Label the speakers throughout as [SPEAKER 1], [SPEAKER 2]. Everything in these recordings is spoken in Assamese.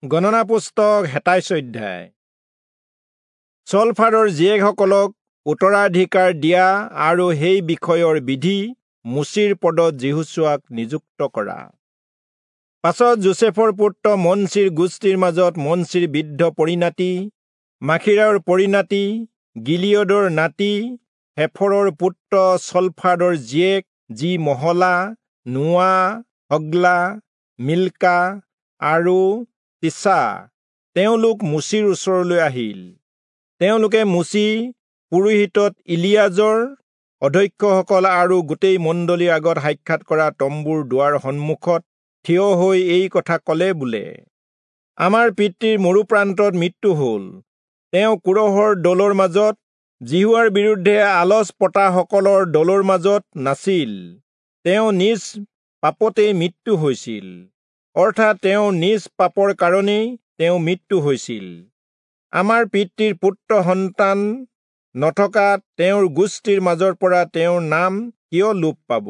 [SPEAKER 1] গণনা পুস্তক 27 অধ্যায়। চলফাৰৰ জীয়েকসকলক উত্তৰাধিকাৰ দিয়া আৰু সেই বিষয়ৰ বিধি মোচিৰ পদত যিহোচূৱাক নিযুক্ত কৰা। পাছত যোচেফৰ পুত্ৰ মনচিৰ গোষ্ঠীৰ মাজত মনচিৰ বৃদ্ধ পৰিণাতি, মাখীৰৰ পৰিণাতি, গিলিয়দৰ নাতি, হেফৰৰ পুত্ৰ চলফাদৰ জীয়েক যি মহলা, নোৱা, হগ্লা, মিল্কা আৰু তিচা, তেওঁলোক মোচিৰ ওচৰলৈ আহিল। তেওঁলোকে মোচি, পুৰোহিতত ইলিয়াজৰ, অধ্যক্ষসকল আৰু গোটেই মণ্ডলীৰ আগত সাক্ষাৎ কৰা তম্বুৰ দুৱাৰ সন্মুখত থিয় হৈ এই কথা কলে বোলে, আমাৰ পিতৃৰ মৰুপ্ৰান্তত মৃত্যু হল। তেওঁ কোৰহৰ দলৰ মাজত, যিহোৱাৰ বিৰুদ্ধে আলচ পতাসকলৰ দলৰ মাজত নাছিল। তেওঁ নিজ পাপতেই মৃত্যু হৈছিল, অৰ্থাৎ তেওঁ নিজ পাপৰ কাৰণেই তেওঁ মৃত্যু হৈছিল। আমাৰ পিতৃৰ পুত্ৰ সন্তান নথকা তেওঁৰ গোষ্ঠীৰ মাজৰ পৰা তেওঁৰ নাম কিয় লোপ পাব?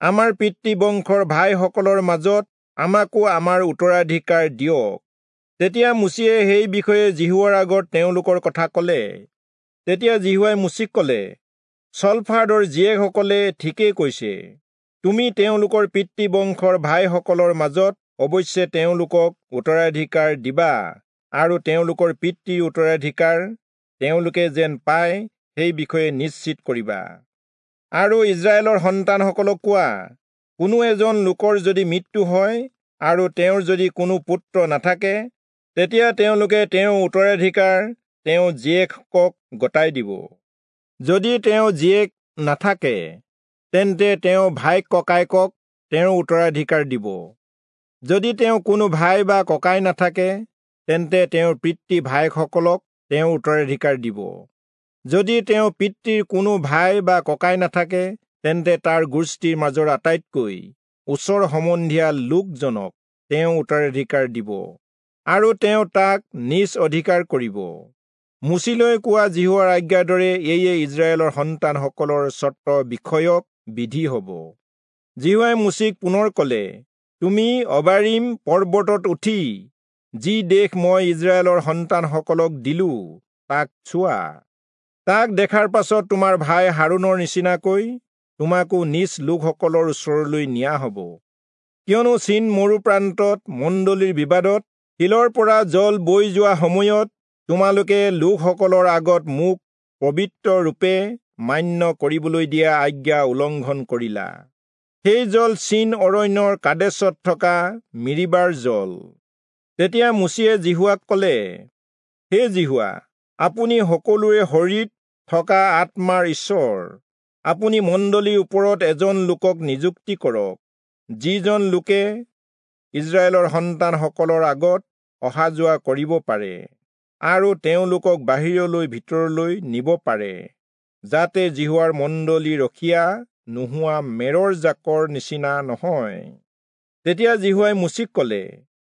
[SPEAKER 1] আমাৰ পিতৃ বংশৰ ভাইসকলৰ মাজত আমাকো আমাৰ উত্তৰাধিকাৰ দিয়ক। তেতিয়া মোচিয়ে সেই বিষয়ে যিহোৱাৰ আগত তেওঁলোকৰ কথা কলে। তেতিয়া যিহোৱাই মোচিক কলে, চলফাদৰ জীয়েকসকলে ঠিকেই কৈছে। তুমি তেওঁলোকৰ পিতৃ বংশৰ ভাইসকলৰ মাজত অৱশ্যে তেওঁলোকক উত্তৰাধিকাৰ দিবা আৰু তেওঁলোকৰ পিতৃৰ উত্তৰাধিকাৰ তেওঁলোকে যেন পায় সেই বিষয়ে নিশ্চিত কৰিবা। আৰু ইস্ৰায়েলৰ সন্তানসকলক কোৱা, কোনো এজন লোকৰ যদি মৃত্যু হয় আৰু তেওঁৰ যদি কোনো পুত্ৰ নাথাকে, তেতিয়া তেওঁলোকে তেওঁৰ উত্তৰাধিকাৰ তেওঁ জীয়েকক গতাই দিব। যদি তেওঁ জীয়েক নাথাকে, তেন্তে তেওঁ ভাইক ককায়েকক তেওঁৰ উত্তৰাধিকাৰ দিব। যদি তেওঁ কোনো ভাই বা ককাই নাথাকে, তেন্তে তেওঁৰ পিতৃ ভায়েকসকলক তেওঁ উত্তৰাধিকাৰ দিব। যদি তেওঁ পিতৃৰ কোনো ভাই বা ককাই নাথাকে, তেন্তে তাৰ গোষ্ঠীৰ মাজৰ আটাইতকৈ ওচৰ সম্বন্ধীয়া লোকজনক তেওঁ উত্তৰাধিকাৰ দিব আৰু তেওঁ তাক নিজ অধিকাৰ কৰিব। মোচিলৈ কোৱা যিহোৱাৰ আজ্ঞাৰ দৰে এয়ে ইস্ৰায়েলৰ সন্তানসকলৰ স্বত্ব বিষয়ক বিধি হ'ব। যিহোৱাই মোচিক পুনৰ কলে, তুমি অবাৰিম পৰ্বতত উঠি যি দেশ মই ইস্ৰায়েলৰ সন্তানসকলক দিলো তাক চোৱা। তাক দেখাৰ পাছত তোমাৰ ভাই হাৰোণৰ নিচিনাকৈ তোমাকো নিজ লোকসকলৰ ওচৰলৈ নিয়া হ'ব। কিয়নো চীন মৰুপ্ৰান্তত মণ্ডলীৰ বিবাদত শিলৰ পৰা জল বৈ যোৱা সময়ত তোমালোকে লোকসকলৰ আগত মোক পবিত্ৰ ৰূপে মান্য কৰিবলৈ দিয়া আজ্ঞা উলংঘন কৰিলা। সেই জল চীন অৰণ্যৰ কাদেশত থকা মিৰিবাৰ জল। তেতিয়া মোচিয়ে যিহোৱাক কলে, হে যিহোৱা, আপুনি সকলোৰে শৰীৰত থকা আত্মাৰ ঈশ্বৰ, আপুনি মণ্ডলীৰ ওপৰত এজন লোকক নিযুক্তি কৰক, যিজন লোকে ইস্ৰায়েলৰ সন্তানসকলৰ আগত অহা যোৱা কৰিব পাৰে আৰু তেওঁলোকক বাহিৰলৈ ভিতৰলৈ নিব পাৰে, যাতে যিহোৱাৰ মণ্ডলী ৰখীয়া নোহোৱা মেৰৰ জাকৰ নিচিনা নহয়। তেতিয়া যিহোৱাই মোচিক কলে,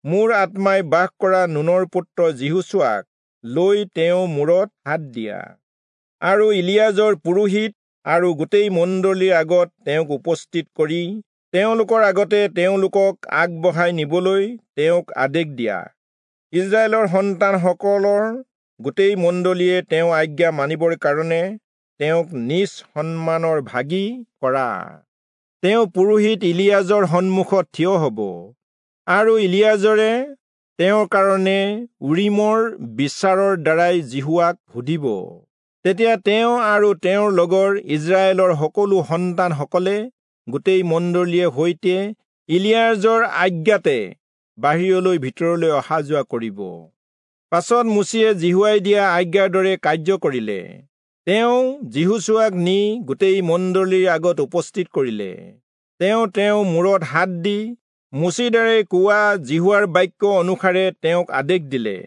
[SPEAKER 1] মোৰ আত্মাই বাস কৰা নুনৰ পুত্ৰ যিহোচূৱাক লৈ তেওঁ মূৰত হাত দিয়া আৰু ইলিয়াজৰ পুৰোহিত আৰু গোটেই মণ্ডলীৰ আগত তেওঁক উপস্থিত কৰি তেওঁলোকৰ আগতে তেওঁলোকক আগবঢ়াই নিবলৈ তেওঁক আদেশ দিয়া। ইস্ৰায়েলৰ সন্তানসকলৰ গোটেই মণ্ডলীয়ে তেওঁ আজ্ঞা মানিবৰ কাৰণে তেওঁক নিজ সন্মানৰ ভাগী কৰা। তেওঁ পুৰোহিত ইলিয়াজৰ সন্মুখত থিয় হ'ব আৰু ইলিয়াজৰে তেওঁৰ কাৰণে উৰিমৰ বিচাৰৰ দ্বাৰাই যিহোৱাক সুধিব। তেতিয়া তেওঁ আৰু তেওঁৰ লগৰ ইস্ৰায়েলৰ সকলো সন্তানসকলে গোটেই মণ্ডলীয়ে সৈতে ইলিয়াজৰ আজ্ঞাতে বাহিৰলৈ ভিতৰলৈ অহা যোৱা কৰিব। পাছত মোচিয়ে যিহোৱাই দিয়া আজ্ঞাৰ দৰে কাৰ্য কৰিলে। তেওঁ যিহোচূৱাক নি গোটেই মণ্ডলীৰ আগত উপস্থিত কৰিলে। তেওঁ তেওঁৰ মূৰত হাত দি মোচিৰ দ্বাৰাই কোৱা যিহোৱাৰ বাক্য অনুসাৰে তেওঁক আদেশ দিলে।